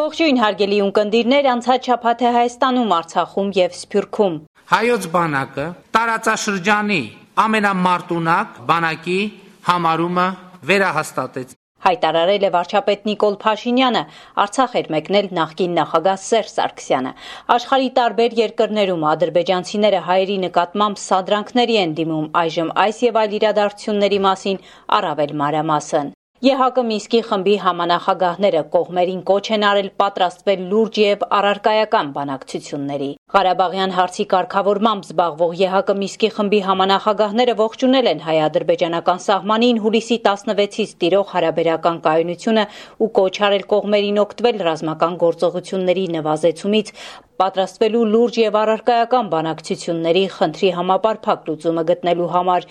Ողջույն հարգելի ունկնդիրներ, անցած շաբաթ է Հայաստանում, Արցախում եւ Սփյուռքում։ Հայոց բանակը տարածաշրջանի ամենամարտունակ բանակի համարումը վերահաստատեց։ Հայտարարել է վարչապետ Նիկոլ Փաշինյանը, Արցախ էր մեկնել նախկին նախագահ Սերժ Սարգսյանը։ Աշխարհի տարբեր երկրներում ադրբեջանցիները հայերի նկատմամբ սադրանքների են դիմում, այժմ այս եւ այլ իրադարձությունների մասին առավել մանրամասն։ ԵՀԿ Մինսկի խմբի համանախագահները կողմերին կոչ են արել պատրաստվել լուրջ եւ առարկայական բանակցությունների։ Ղարաբաղյան հարցի կարգավորմամբ զբաղվող ԵՀԿ Մինսկի խմբի համանախագահները ողջունել են հայ-ադրբեջանական սահմանին հուլիսի 16-ից տիրող հարաբերական կայունությունը ու կոչ արել կողմերին օգտվել ռազմական գործողությունների նվազեցումից, պատրաստվելու լուրջ եւ առարկայական բանակցությունների խնդրի համապարփակ լուծումը գտնելու համար։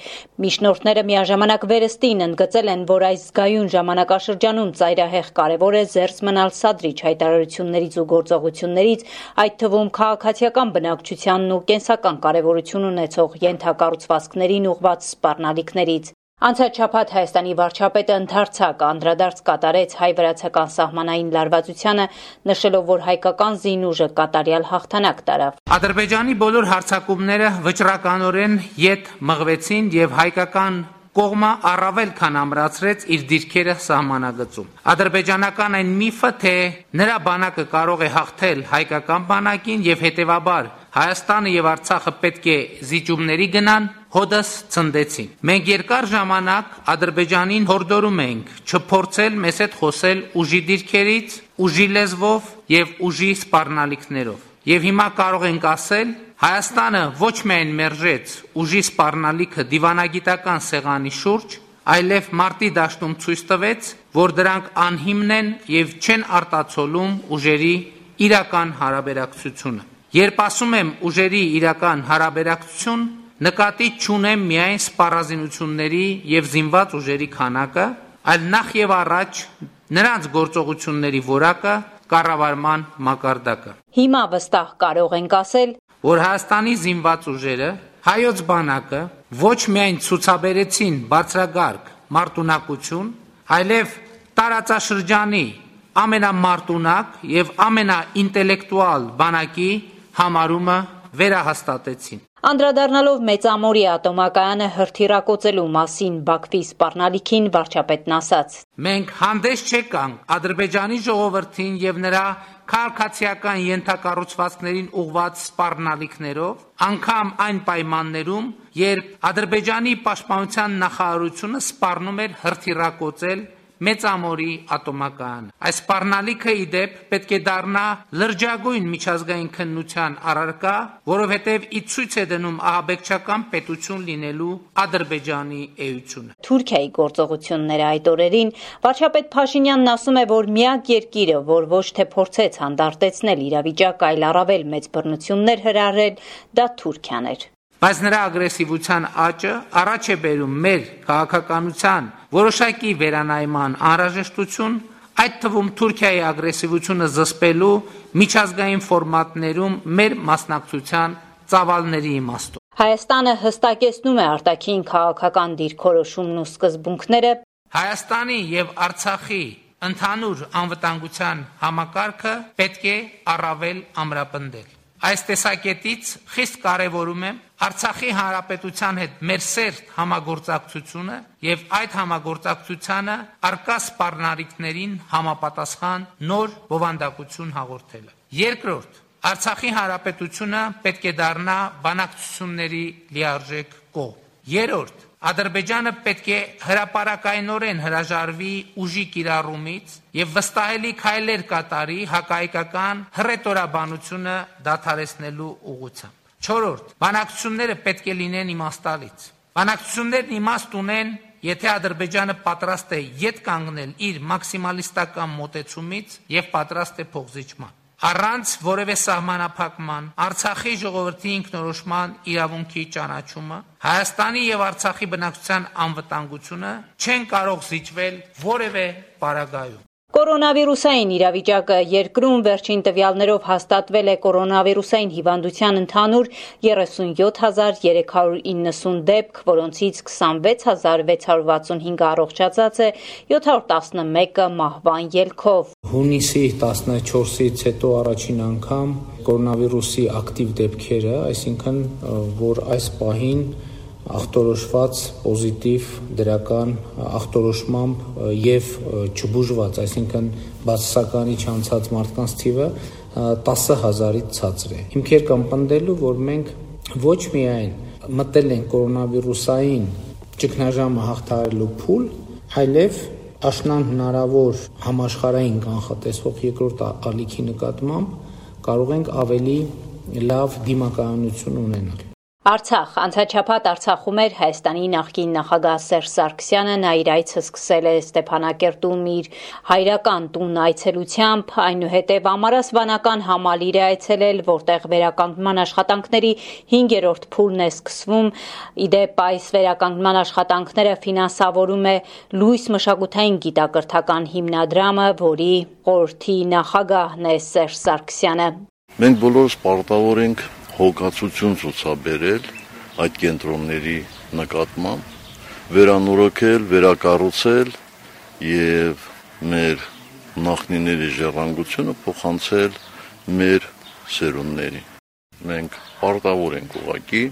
Միջնորդները միաժամանակ վերստին ընդգծել են, որ այս զգայուն ժամանակաշրջանում ծայրահեղ կարևոր է զերծ մնալ սադրիչ հայտարարություններից ու գործողություններից, այդ թվում քաղաքացիական բնակչությանն ու կենսական կարևորություն ունեցող ենթակառուցվածքներին ուղղված սպառնալիքներից։ Անցած շաբաթ Հայաստանի վարչապետը ընդարձակ անդրադարձ կատարեց հայ-վրացական սահմանային լարվածությանը, նշելով, որ հայկական զինուժը կատարյալ հաղթանակ տարավ։ Ադրբեջանի բոլոր հարձակումները վճռականորեն ետ մղվեցին եւ հայկական կողմը առավել քան ամրացրեց իր դիրքերը սահմանագծում։ Ադրբեջանական այն միֆը, թե նրա բանակը կարող է հաղթել հայկական բանակին եւ հետեւաբար Հայաստանը եւ Արցախը պետք է զիջումների գնան, հոդս ցնդեցին։ Մենք երկար ժամանակ Ադրբեջանին հորդորում ենք չփորձել մեզ հետ խոսել ուժի դիրքերից, ուժի լեզվով եւ ուժի սպառնալիքներով։ Եվ հիմա կարող ենք ասել, Հայաստանը ոչ միայն մերժեց ուժի սպառնալիքը դիվանագիտական սեղանի շուրջ, այլև մարտի դաշտում ցույց տվեց, որ դրանք անհիմն են եւ չեն արտացոլում ուժերի իրական հարաբերակցությունը։ Երբ ասում եմ ուժերի իրական հարաբերակցություն, նկատի չունեմ միայն սպառազինությունների եւ զինված ուժերի քանակը, այլ նախ եւ առաջ նրանց գործողությունների որակը, կառավարման մակարդակը։ Հիմա վստահ կարող ենք ասել, որ Հայաստանի զինված ուժերը, հայոց բանակը ոչ միայն ցուցաբերեցին բարձրագարկ մարտունակություն, այլև տարածաշրջանի ամենամարտունակ եւ ամենաինտելեկտուալ բանակի համարումը վերահաստատեցին։ Անդրադառնալով Մեծամորի ատոմակայանը հրթիռակոծելու մասին Բաքվի սպառնալիքին վարչապետն ասաց. Մենք հանդես չեկանք Ադրբեջանի ժողովրդին եւ նրա քաղաքացիական ենթակառուցվածքներին ուղղված սպառնալիքներով, անգամ այն պայմաններում, երբ Ադրբեջանի պաշտպանության նախարարությունը սպառնում էր հրթիռակոծել Մեծամորի ատոմակայանը։ Այս սպառնալիքը իդեպ պետք է դառնա լրջագույն միջազգային քննության առարկա, որովհետև ի ցույց է դնում ահաբեկչական պետություն լինելու Ադրբեջանի էությունը։ Թուրքիայի գործողությունները այդ օրերին վարչապետ Փաշինյանն ասում է, որ միակ երկիրը, որ ոչ թե փորձեց հանդարտեցնել իրավիճակը, այլ առավել մեծ բռնություններ հրահրել, դա Թուրքիան էր։ Բայց նրա ագրեսիվության աճը առաջ է բերում մեր քաղաքականության որոշակի վերանայման անհրաժեշտություն, այդ թվում Թուրքիայի ագրեսիվությունը զսպելու միջազգային ֆորմատներում մեր մասնակցության ծավալների իմաստով։ Հայաստանը հստակեցնում է արտաքին քաղաքական դիրքորոշումն ու սկզբունքները։ Հայաստանի եւ Արցախի ընդհանուր անվտանգության համակարգը պետք է առավել ամրապնդել։ Այս տեսակետից խիստ կարևորում եմ Արցախի հանրապետության հետ մեր սերտ համագործակցությունը եւ այդ համագործակցությանը արկա սպառնալիքներին համապատասխան նոր բովանդակություն հաղորդելը։ Երկրորդ, Արցախի հանրապետությունը պետք է դառնա բանակցությունների լիարժեք կողմ։ Երրորդ, Ադրբեջանը պետք է հրապարակայնորեն հրաժարվի ուժի կիրառումից եւ վստահելի քայլեր կատարի հակահայկական հռետորաբանությունը դադարեցնելու ուղղությամբ։ Չորրորդ, բանակցությունները պետք է լինեն իմաստալից։ Բանակցություններն իմաստ ունեն, եթե Ադրբեջանը պատրաստ է ետ կանգնել իր մաքսիմալիստական մոտեցումից եւ պատրաստ է փոխզիջման։ Առանց որևէ սահմանափակման Արցախի ժողովրդի ինքնորոշման իրավունքի ճանաչումը, Հայաստանի եւ Արցախի բնակչության անվտանգությունը չեն կարող զիջվել որևէ պարագայում։ Կորոնավիրուսային իրավիճակը երկրում վերջին տվյալներով հաստատվել է կորոնավիրուսային հիվանդության ընդհանուր 37,390 դեպք, որոնցից 26,665 առողջացած է, 711-ը մահվան ելքով։ Հունիսի 14-ից հետո առաջին անգամ կորոնավիրուսի ակտիվ դեպքերը, այսինքն որ այս պահին ախտորոշված պոզիտիվ դրական ախտորոշմամբ եւ չբուժված, այսինքն բացասականի չանցած մարդկանց թիվը 10,000-ից ցածր է։ Հիմքեր կան պնդելու, որ մենք ոչ միայն մտել ենք կորոնավիրուսային ճգնաժամը հաղթահարելու փուլ, այլև աշնան հնարավոր համաշխարհային կանխատեսվող երկրորդ ալիքի նկատմամբ կարող ենք ավելի լավ դիմակայունություն ունենալ։ Արցախ անցաչափած Արցախում էր Հայաստանի նախկին նախագահ Սերժ Սարգսյանը, նա իր այցը սկսել է Ստեփանակերտում իր հայրական տուն այցելությամբ, այնուհետև Ամարասվանական համալիր է այցելել, որտեղ վերականգնման աշխատանքների 5-րդ փուլն է սկսվում։ Իդեպ այս վերականգնման աշխատանքները ֆինանսավորում է Լույս մշակութային գիտակրթական հիմնադրամը, որի խորհրդի նախագահն է Սերժ Սարգսյանը։ Մենք բոլորս պարտավոր ենք հոգացություն ցուցաբերել այդ կենտրոնների նկատմամբ, վերանորոգել, վերակառուցել եւ մեր նախնիների ժառանգությունը փոխանցել մեր սերունդներին։ Մենք պարտավոր ենք ուղղակի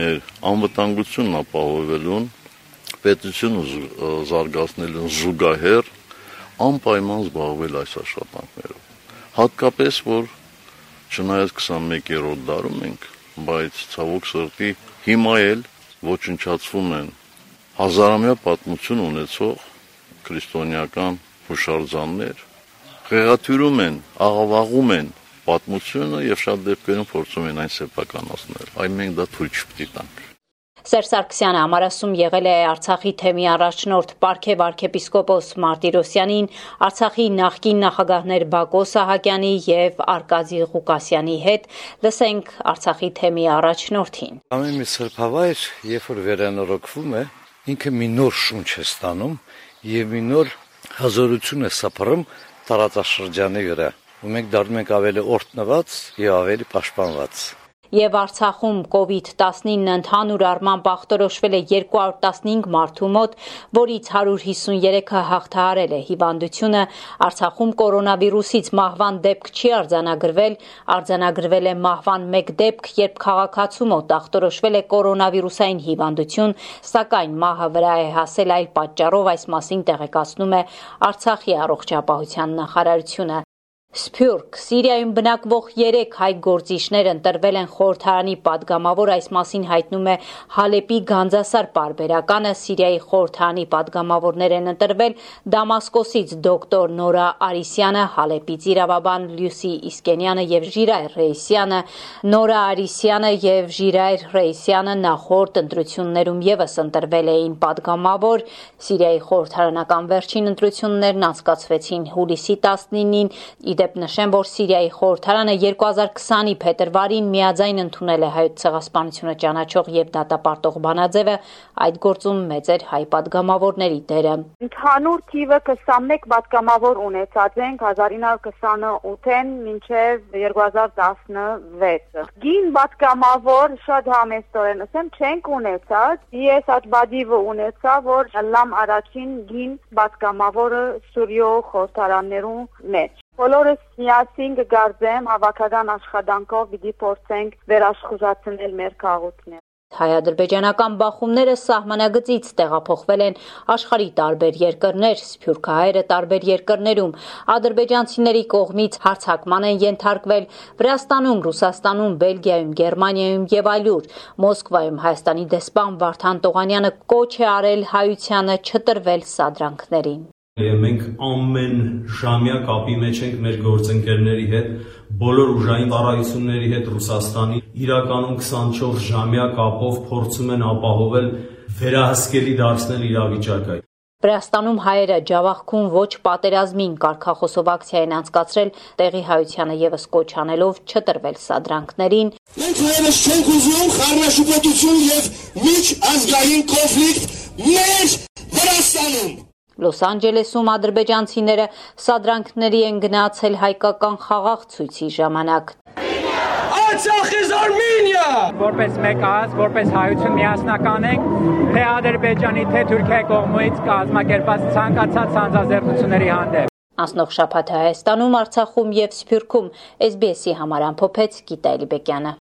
մեր անվտանգությունն ապահովելուն, պետությունը զարգացնելուն զուգահեռ անպայման զբաղվել այս աշխատանքներով։ Հատկապես որ չնայած 21-րդ դարում ենք, բայց ցավոք սրտի հիմա էլ ոչնչացվում են հազարամյա պատմություն ունեցող քրիստոնեական հուշարձաններ, խեղաթյուրում են, աղավաղում են պատմությունը եւ շատ դեպքերում փորձում են այն սեփականացնել։ Այ մենք դա թույլ չպետք է տանք։ Սերժ Սարգսյանը Ամարասում եղել է Արցախի թեմի առաջնորդ Պարքև arczepiskopos Մարտիրոսյանին, Արցախի նախկին նախագահներ Բակո Սահակյանի եւ Արկադի Ղուկասյանի հետ, լսենք Արցախի թեմի առաջնորդին։ Ամեն մի սրբավայր, երբ որ վերանորոգվում է, ինքը մի նոր շունչ է ստանում եւ մի նոր հազորություն է սփռում տարածաշրջանի վրա, ու մենք դառնում ենք ավելի օրհնված եւ ավելի պաշտպանված։ Եվ Արցախում COVID-19 ընդհանուր առմամբ ախտորոշվել է 215 մարդու մոտ, որից 153-ը հաղթահարել է հիվանդությունը։ Արցախում կորոնավիրուսից մահվան դեպք չի արձանագրվել, արձանագրվել է մահվան 1 դեպք, երբ քաղաքացու մոտ ախտորոշվել է կորոնավիրուսային հիվանդություն, սակայն մահը վրա է հասել այլ պատճառով, այս մասին տեղեկացնում է Արցախի առողջապահության նախարարությունը։ Սփյուռք, Սիրիայում բնակվող 3 հայ գործիչներ ընտրվել են խորհրդարանի падգամավոր, այս մասին հայտնում է Հալեպի Գանձասար պարբերականը։ Սիրիայի խորհրդարանի падգամավորներ են ընտրվել Դամասկոսից դոկտոր Նորա Արիսյանը, Հալեպից իրավաբան Լյուսի Իսկենյանը եւ Ժիրայր Ռեյսյանը։ Նորա Արիսյանը եւ Ժիրայր Ռեյսյանը նախորդ ընտրություններում եւս ընտրվել էին падգամավոր։ Սիրիայի խորհրդարանական վերջին ընտրություններն անցկացվեցին հուլիսի 19-ին։ Դեպ նշեմ, որ Սիրիայի խորհրդարանը 2020-ի փետրվարին միաձայն ընդունել է հայոց ցեղասպանությունը ճանաչող եւ դատապարտող բանաձևը, այդ գործում մեծ էր հայ падգամավորների դերը։ Ընդհանուր թիվը 21 падգամավոր ունեցած ենք 1928-ին մինչև 2016։ Գին падգամավոր շատ համեստորեն ասեմ չենք ունեցած, ես այդ բադիվը ունեցա, որ լամ առաջին գին падգամավորը Սուրիո խորհրդարաններում մեջ։ Բոլորս միասին կգարձեմ հավաքական աշխատանքով պիտի փորձենք վերաշխուժացնել մեր քաղաքները։ Հայ-ադրբեջանական բախումները սահմանագծից տեղափոխվել են աշխարհի տարբեր երկրներ, սփյուռքահայերը տարբեր երկրներում, ադրբեջանցիների կողմից հարձակման են ենթարկվել Վրաստանում, Ռուսաստանում, Բելգիայում, Գերմանիայում եւ այլուր։ Մոսկվայում Հայաստանի դեսպան Վարդան Տողանյանը կոչ է արել հայությանը չտրվել սադրանքներին։ Եվ մենք ամեն ժամյա կապի մեջ ենք մեր գործընկերների հետ, բոլոր ուժային ծառայությունների հետ Ռուսաստանի, իրականում 24 ժամյա կապով փորձում են ապահովել վերահսկելի դարձնել իրավիճակը։ Վրաստանում հայերը Ջավախքում ոչ պատերազմին կարգախոսով ակցիա են անցկացրել, տեղի հայությանը եւս կոչ անելով չտրվել սադրանքներին։ Մենք հայերս չենք ուզում խառնաշփոթություն եւ միջազգային կոնֆլիկտ մեր Վրաստանում։ Լոս Անջելեսում ադրբեջանցիները սադրանքների են գնացել հայկական խաղաղ ցույցի ժամանակ։ Արցախ is Armenia! Որպես մեկ ազգ, որպես հայություն միասնական ենք, թե Ադրբեջանի, թե Թուրքիայի կողմից կազմակերպված ցանկացած հանձնազերծությունների հանդեպ։ Անցնող շաբաթ Հայաստանում, Արցախում եւ Սփյուռքում SBS-ի համար ամփոփեց Գիտա Էլիբեկյանը։